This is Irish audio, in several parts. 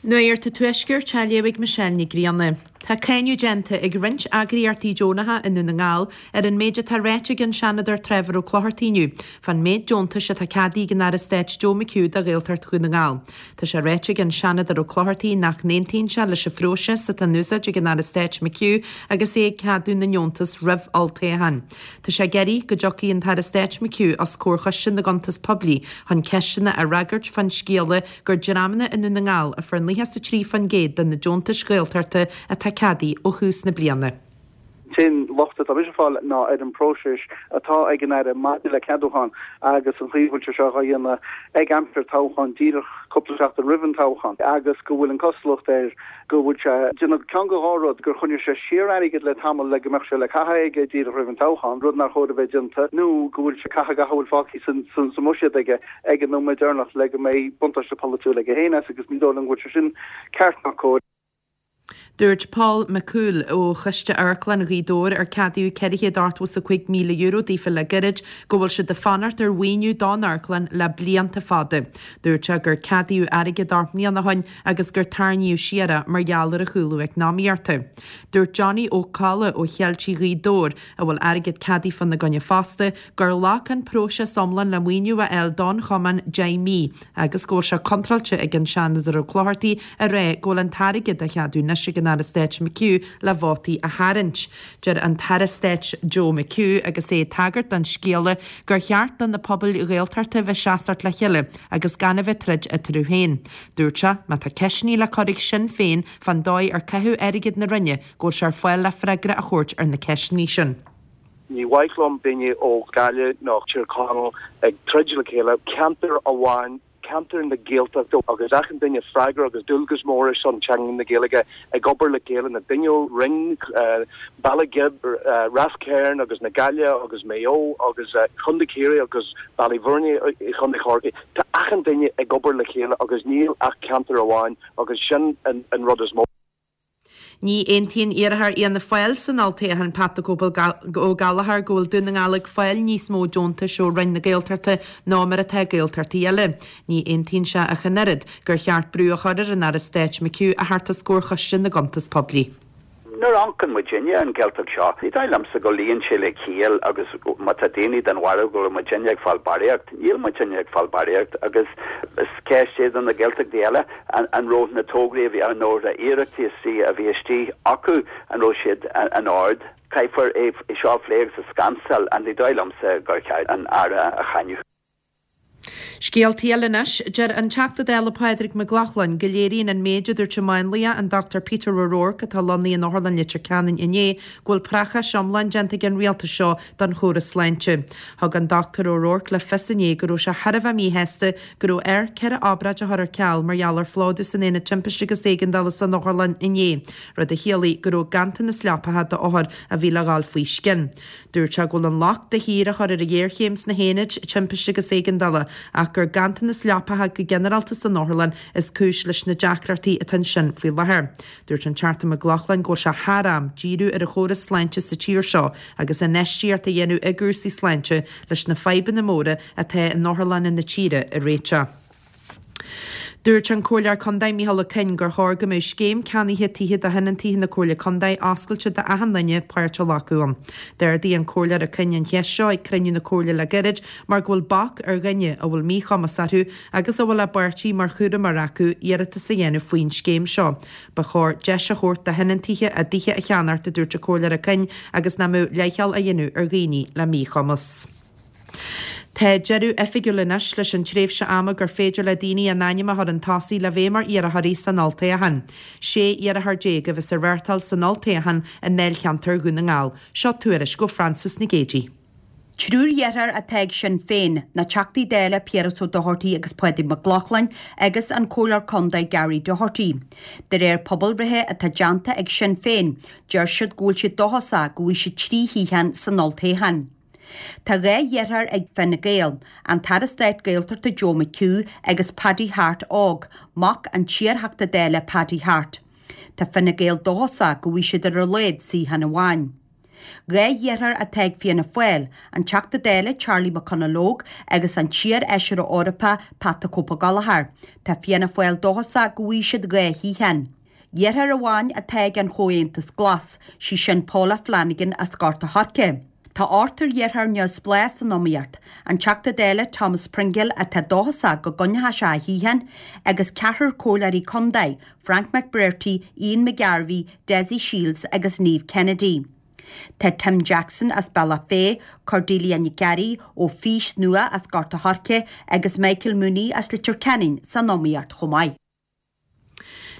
Nuacht an Tuaiscirt á léamh ag Michelle Nic Grianna. Tá cáineadh déanta ag roinnt eagraíochtaí deonacha i nDún na nGall ar an méid atá ráite ag an Seanadóir Trevor Ó Clochartaigh inniu fán méid deontais atá ceadaithe ag an Aire Stáit Joe McHugh do Ghaeltacht Dhún na nGall. Tá sé ráite ag an Seanadóir Ó Clochartaigh nach n-aontaíonn sé leis an phróiseas atá in úsáid ag an Aire Stáit McHugh agus é ag ceadú na ndeontas roimh olltoghchán. Tá sé ag iarraidh go dtiocfaidh an tAire Stáit McHugh os comhair Choiste na gCuntas Poiblí chun ceisteanna a fhreagairt fán scéala gur dreamanna i nDún na nGall a fuair 93% de na deontais Ghaeltachta atá ceadaithe ó thús na bliana. An t-aon locht atá mise ag fáil ná ar an bpróiseas atá ag an Aire maidir le ceadúchán agus an chaoi a bhfuil sé seo á dhéanamh ag aimsir toghcháin, díreach cúpla seachtain roimh an toghchán, agus go bhfuil an cosúlacht air go bhfuil sé ag déanamh ceann de dhá rud, gur choinnigh sé siar airgead le tamall le go mbeadh sé le caitheamh aige díreach roimh an toghchán, rud nár chóir a bheith déanta, nó go bhfuil sé ag caitheamh gach a bhfuil fágtha sa mbuiséad aige ag an nóiméad deireanach le go mbeidh buntáiste polaitiúil aige féin as agus ní dóigh liom go bhfuil sé sin ceart ná cóir. Dúirt Paul McCool ó Choiste Amharclann Ghaoth Dobhair, ar ceadaíodh €485,000 daofa le gairid, go bhfuil siad ag fanacht ar mhaoiniú don amharclann le blianta fada. Dúirt sé gur ceadaíodh airgead 8 mbliana ó shin agus gur tarraingíodh siar é mar gheall ar an chúlú eacnamaíochta. Dúirt Johnny Ó Colla ó Cheiltigh Ghaoth Dobhair, a bhfuil airgead ceadaithe fána gcoinne fosta, gur ghlac an próiseas iomlán le maoiniú a fháil don chumann 10 mí agus go bhfuil sé contráilte ag an Seanadóir Ó Clochartaigh a rá go bhfuil an t-airgead á cheadú anois ag an Aire Stáit McHugh le vótaí a tharraingt. Deir an tAire Stáit Joe McHugh agus é ag tagairt don scéala gur cheart do na pobail Ghaeltachta bheith seasacht le chéile agus gan a bheith troid eatarthu féin. Dúirt sé má tá ceisteanna le cur ag Sinn Féin fán dóigh ar caitheadh airgead na Roinne go bhfuil sé ar fáil le freagra a thabhairt ar na ceisteanna sin. Ní mhaith liom daoine ó Ghaillimh nó Tír Chonaill ag troid le chéile, ceantar amháin, ceantar na Gaeltachta agus achan duine freagrach agus dualgas mór ar son teanga na Gaeilge ag obair le chéile, na daoine ó Rinn, Baile Ghib, Ráth Cairn agus na Gaillimhe agus Maigh Eo agus Contae Chiarraí agus Baile Bhúirne i Chontae Chorcaí. Tá achan duine ag obair le chéile agus níl ach ceantar amháin agus sin an rud is mó. Ní aontaíonn iarrthóir Fhianna Fáil san olltoghchán Pat 'The Cope' Ó Gallchóir go bhfuil Dún na nGall ag fáil níos mó deontais ó Roinn na Gaeltachta ná mar atá Gaeltachtaí eile. Ní aontaíonn sé ach an oiread gur cheart brú a chur ar an Aire Stáit McHugh a theacht os comhair Choiste na gCuntas Poiblí. Nuair a amharcann muidinne ar an Ghaeltacht seo, ní dóigh liomsa go luíonn sé le ciall agus má tá daoine den bharúil go bhfuil muidinne ag fáil barraíocht, níl muidinne ag fáil barraíocht agus is ceist é do na Gaeltachtaí eile an raibh na tograí a bhí nó na hiarrataí a bhí istigh acu, an raibh siad in ord. Caithfear é seo a phlé agus a scansáil and ní dóigh liomsa gur cheart an Aire a cháineadh. Scéaltaí eile anois. Deir an Teachta Dála Pádraig Mac Lochlainn go léiríonn an méid a dúirt an máinlia, an Dr Peter O'Rourke, atá lonnaithe in Otharlann Leitir Ceanainn inné, go bhfuil préachás iomlán déanta ag an rialtas seo don chóras sláinte. Thug an Dr O'Rourke le fios inné go raibh sé thar a bheith míshásta go raibh air 4 obráid a chur ar ceal mar gheall ar phlódú san Aonad Timpiste agus Éigeandála san otharlann inné, rud a chiallaigh go raibh ganntanas leapacha d'othair a bhí le dhul faoi scian. Dúirt sé go bhfuil an locht de shíor á chur ar an ghéarchéim sna haonaid timpiste agus éigeandála ach gur ganntanas leapacha go ginearálta san otharlann is cúis leis na deacrachtaí atá ansin faoi láthair. Dúirt an Teachta Mac Lochlainn go bhfuil sé thar am díriú ar an chóras sláinte sa tír seo agus infheistíocht a dhéanamh i gcúrsaí sláinte leis na fadhbanna móra atá in otharlanna na tíre a réiteach. Dúirt an Comhairleoir Contae Micheál Ó Coinn gur chóir go mbeadh scéim ceannaithe tithe do thionóntaithe na Comhairle Contae oscailte d'achan duine páirt a ghlacadh ann. D'ardaigh an Comhairleoir Ó Coinn an cheist seo ag cruinniú na Comhairle le gairid mar go bhfuil bac ar dhuine a bhfuil míchumas orthu agus a bhfuil a bpáirtí mar chúramóir acu iarratas a dhéanamh faoin scéim seo. Ba chóir deis a thabhairt do thionóntaithe a dtithe a cheannacht, a dúirt an Comhairleoir Ó Coinn, agus nach mbeadh leithcheal á dhéanamh ar dhaoine le míchumas. Tá deireadh oifigiúil anois leis an tréimhse ama gur féidir le daoine a n-ainm a chur chun tosaigh le bheith mar iarrthóirí san olltoghchán. 16 iarrthóir a bheas ag reáchtáil san olltoghchán i ndáilcheantar Dhún na nGall. Seo tuairisc ó Frances Nic Géadaigh. Triúr iarrthóir atá ag Sinn Féin, na Teachtaí Dála Piaras Ó Dochartaigh agus Pádraig Mac Lochlainn agus an Comhairleoir Contae Gary Doherty. De réir pobalbhreithe atá déanta ag Sinn Féin, deir siad go bhfuil siad dóchasach go bhfaighidh siad 3 shuíochán san olltoghchán. Tá 2 iarrthóir ag Fine Gael, an tAire Stáit Gaeltachta Joe McHugh agus Paddy Harte óg, mac an t-iarTheachta Dála Paddy Harte. Tá Fine Gael dóchasach go bhfaighidh siad ar a laghad suíochán amháin. 2 dheartháir atá ag Fianna Fáil, an Teachta Dála Charlie McConalogue agus an t-iar-fheisire Eorpach Pat 'The Cope Gallagher. Tá Fianna Fáil dóchasach go bhfaighidh siad 2 shuíochán. Deartháir amháin atá ag an Chomhaontas Glas, sí sin Paula Flanagan as Gort a' Choirce. Tá ochtar dheartháir neamhspleách san iomaíocht, an Teachta Dála Thomas Pringle atá dóchasach go gcoinneoidh sé a shuíochán, agus ceathrar comhairleoirí contae, Frank McBrearty, Ian McGarvey, Dessie Shiels agus Niamh Kennedy. Tá Tim Jackson as Bealach Féich, Cordelia Nic Fhearraigh ó Fís Nua as Gort a' Choirce agus Michael Mooney as Leitir Ceanainn san iomaíocht chomh maith.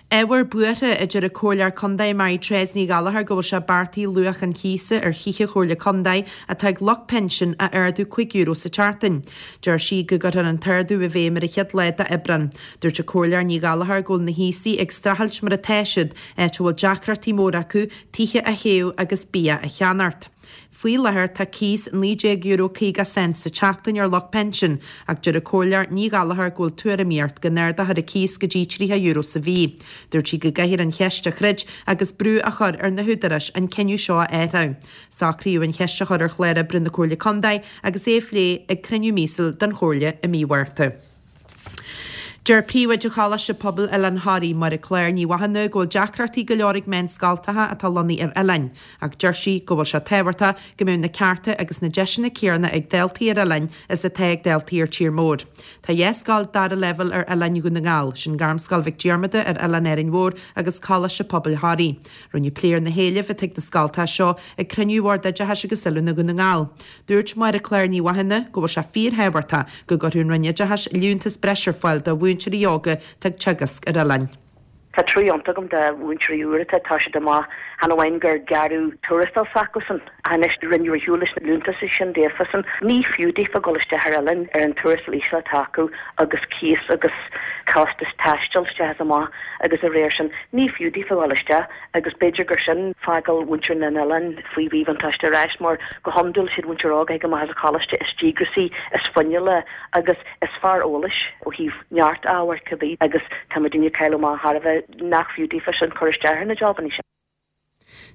Ábhar buartha, a deir an Comhairleoir Contae Mary Therese Ní Ghallchóir go bhfuil sé beartaithe luach an chíosa ar thithe Chomhairle Contae atá ag lucht pinsin a ardú €5 sa tseachtain. Deir sí go gcuirfear an t-ardú i bhfeidhm ar an chéad lá d'Aibreán. Dúirt an Comhairleoir Ní Ghallchóir go bhfuil na haosaigh ag streachailt mar atá siad, áit a bhfuil deacrachtaí móra acu tithe a théamh agus bia a cheannacht. Faoi láthair tá cíos €19.50 sa tseachtain ar lucht pinsin ach deir an Comhairleoir Ní Ghallchóir go bhfuil tuairimíocht go n-ardófar an cíos go dtí €30 sa mhí. Dúirt sí go gcaithfear an cheist a throid agus brú a chur ar na húdaráis an cinneadh seo a athrú. Socraíodh an cheist a chur ar chlár oibre na Comhairle Contae agus é a phlé ag cruinniú míosúil den Chomhairle i mí Mhárta. Deir Príomhoide Choláiste Pobail Oileán Thoraí, Máire Clár Ní Mhathúna, go bhfuil deacrachtaí go leor ag meánscoltacha atá lonnaithe ar oileáin, ach deir sí go bhfuil sé tábhachtach go mbeadh na cearta agus na deiseanna céanna ag daltaí ar oileáin is atá ag daltaí ar tír mór. Tá 2 scoil dara leibhéal ar oileáin Dhún na nGall, sin Gairmscoil Mhic Diarmada ar Oileán Árainn Mhór agus Coláiste Pobail Thoraí. Rinneadh plé ar na héilimh atá ag na scoltacha seo ag cruinniú Bhord Oideachais agus Oiliúna Dhún na nGall. Dúirt Máire Clár Ní Mhathúna go bhfuil sé fíorthábhachtach go gcuirfeadh an Roinn Oideachais liúntas breise ar fáil do mhúinteoirí óga atá ag teagasc ar oileáin. Tá trua iontach agam do mhúinteoirí úra atá ag toiseacht amach, chan amháin gur gearradh tuarastal s'acusan, ach anois rinneadh ar shiúl leis na liúntais sin daofasan. Ní fiú daofa dul isteach ar oileán ar an tuarastal íseal atá acu agus cíos agus costas taistil isteach is amach agus a réir sin. Ní fiú daofa dul isteach. Agus b'fhéidir gur sin fágáil mhuintir na n-oileán faoi mhíbhuntáiste ar ais, mar go hiondúil siad mhuintir óg a thig amach as an choláiste is díograisí, is fuinniúla agus is fearr eolais ó thaobh neart ábhair cibé agus tá muidinne ag cailleadh amach thar a bheith nach fiú daofa sin cur isteach ar na jabannaí sin.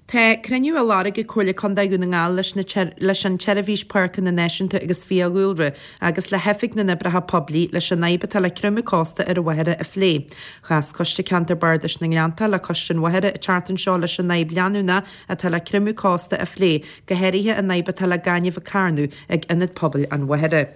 Tá cruinniú á lorg ag Comhairle Contae Dhún na nGall leis na leis an tSeirbhís Páirceanna Náisiúnta agus Fiadhúlra agus le hOifig na nOibreacha Poiblí leis an fhadhb atá le creimeadh cósta ar an Mhachaire a phlé. Chas Coiste Ceantair Bardais na nGleannta le Coiste an Mhachaire an tseachtain seo leis an fhadhb leanúnach atá le creimeadh cósta a phlé, go háirithe an fhadhb atá le gaineamh ag carnadh ag Ionad Pobail an Mhachaire.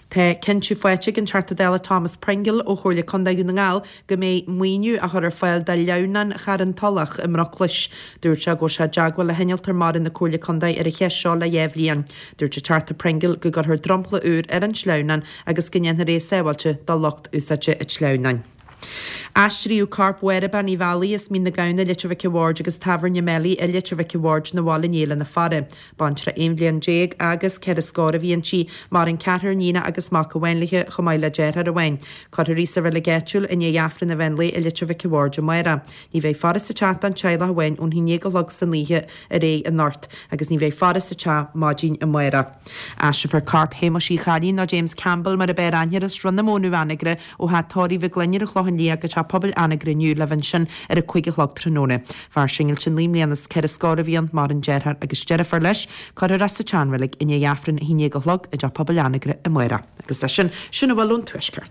Tá cinntiú faighte ag an Teachta Dála Thomas Pringle ó Chomhairle Contae Dhún na nGall go mbeidh maoiniú á chur ar fáil do shleamhnán Charn Tulach i mBroclais. Dúirt sé go bhfuil sé i dteagmháil le hinnealtóir mara na Comhairle Contae ar an cheist seo le dhá bhliain. Dúirt an Teachta Pringle go gcuirfear dromchla úr ar an sleamhnán agus go ndéanfar é sábháilte do lucht úsáidte an tsleamhnáin. Aistríodh corp Mháire Bean Uí Mheallaigh as Mín na Gamhna, Leitir Mhic a' Bhaird agus Tábhairne Melly i Leitir Mhic a' Bhaird 'na bhaile inné lena faire. Baintreach aon bhliain déag agus ceithre scór a bhí inti. Maireann ceathrar iníonach agus mac amháin léi, chomh maith le deartháir amháin. Cuirfear í sa reilig áitiúil i ndiaidh Aifreann an mheán lae i Leitir Mhic a' Bhaird amárach. Ní bheidh faire sa teach don teaghlach amháin ón haon dhéag a chlog san oíche ar aghaidh anocht agus ní bheidh faire sa teach maidin amárach. Aistreofar corp Shéamuis Uí Chailín nó James Campbell mar ab fhearr aithne air as Sruth na Mónadh Anagaire ó theach tórraimh Mhic Gloinn ar an Chlochán Liath go teach pobail Anagaire inniu le bheith ansin ar a 5 a chlog tráthnóna. Fear singilte 9 mbliana is ceithre scór a bhí ann, maireann deartháir agus deirfiúr leis. Cuirfear é sa tseanreilig i ndiaidh Aifreann a haon dhéag a chlog i dteach pobail Anagaire amárach. Agus leis sin, sin a bhfuil ón Tuaisceart.